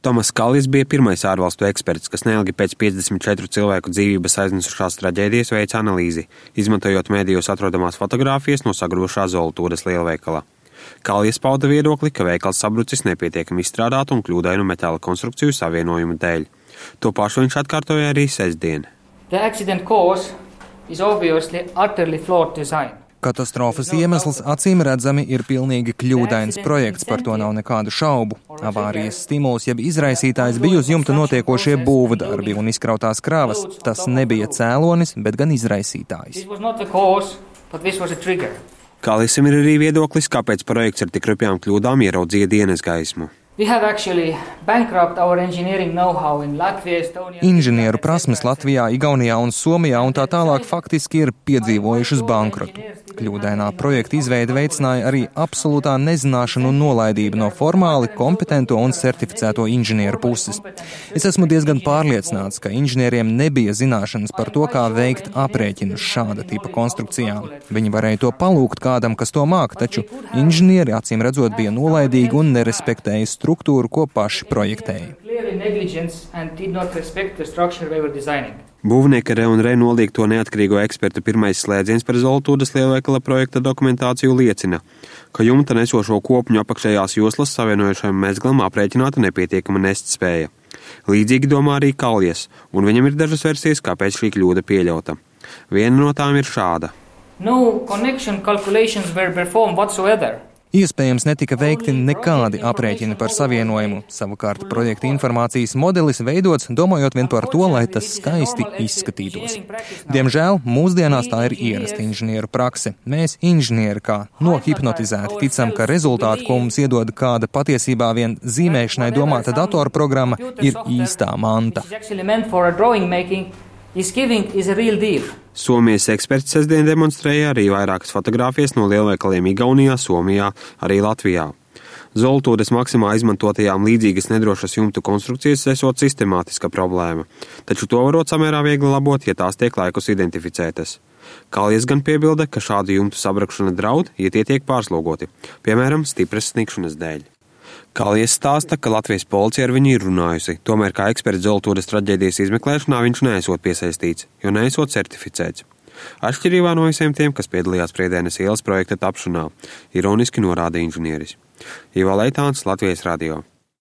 Tomas Kaljs bija pirmais ārvalstu eksperts, kas neilgi pēc 54 cilvēku dzīvības aiznesušās traģēdijas veica analīzi, izmantojot mēdījos atrodamās fotogrāfijas no sagrošā Zoltūras lielveikala. Kaljs pauda viedokli, ka veikals sabrucis nepietiekami izstrādātu un kļūdainu metāla konstrukciju savienojumu dēļ. To pašu viņš atkārtoja arī sestdien. The accident cause is obviously utterly flawed design. Katastrofas iemesls acīm redzami ir pilnīgi kļūdains projekts, par to nav nekādu šaubu. Avārijas stimuls jeb izraisītājs bija uz jumta notiekošie būvdarbi un izkrautās kravas. Tas nebija cēlonis, bet gan izraisītājs. Kaljam ir arī viedoklis, kāpēc projekts ar tik rupjām kļūdām ieraudzīja dienas gaismu. Inženieru prasmes Latvijā, Igaunijā un Somijā un tā tālāk faktiski ir piedzīvojušas bankrotu. Kļūdainā projekta izveide veicināja arī absolūtā nezināšanu un nolaidību no formāli kompetento un certificēto inženieru puses. Es esmu diezgan pārliecināts, ka inženieriem nebija zināšanas par to, kā veikt aprēķinus šāda tipa konstrukcijām. Viņi varēja to palūgt kādam, kas to māk, taču inženieri acīm redzot bija nolaidīgi un nerespektēja struktūru, ko paši projektēja. Būvnieka R&R nolikto neatkarīgo ekspertu pirmais slēdziens par Zoltūras lielveikala projekta dokumentāciju liecina, ka jumta nesošo kopņu apakšējās joslas savienojušajam mezglam aprēķināta nepietiekama nestspēja. Līdzīgi domā arī Kaljs, un viņam ir dažas versijas, kāpēc šī kļūda pieļauta. Viena no tām ir šāda. No connection calculations were performed whatsoever. Iespējams, netika veikti nekādi aprēķini par savienojumu. Savukārt projekta informācijas modelis veidots, domājot vien par to, lai tas skaisti izskatītos. Diemžēl, mūsdienās tā ir ierasta inženieru prakse. Mēs, inženieri, kā nohipnotizēti, ticam, ka rezultāti, ko mums iedod kāda patiesībā vien zīmēšanai domāta datorprogramma, ir īstā manta. Somijas eksperts sestdien demonstrēja arī vairākas fotogrāfijas no lielveikaliem Igaunijā, Somijā, arī Latvijā. Zoltūras maksimā izmantotajām līdzīgas nedrošas jumtu konstrukcijas esot sistemātiska problēma, taču to varot samērā viegli labot, ja tās tiek laikus identificētas. Kaljs gan piebilda, ka šādu jumtu sabrakšana draud, ja tie tiek pārslogoti, piemēram, stipras snikšanas dēļ. Kaljs stāsta, ka Latvijas policija ar viņu ir runājusi, tomēr kā eksperts Zoltūras traģēdijas izmeklēšanā viņš neesot piesaistīts, jo neesot certificēts. Atšķirībā no visiem tiem, kas piedalījās Priedēnes ielas projekta tapšanā, ironiski norāda inženieris. Ivo Leitāns, Latvijas radio.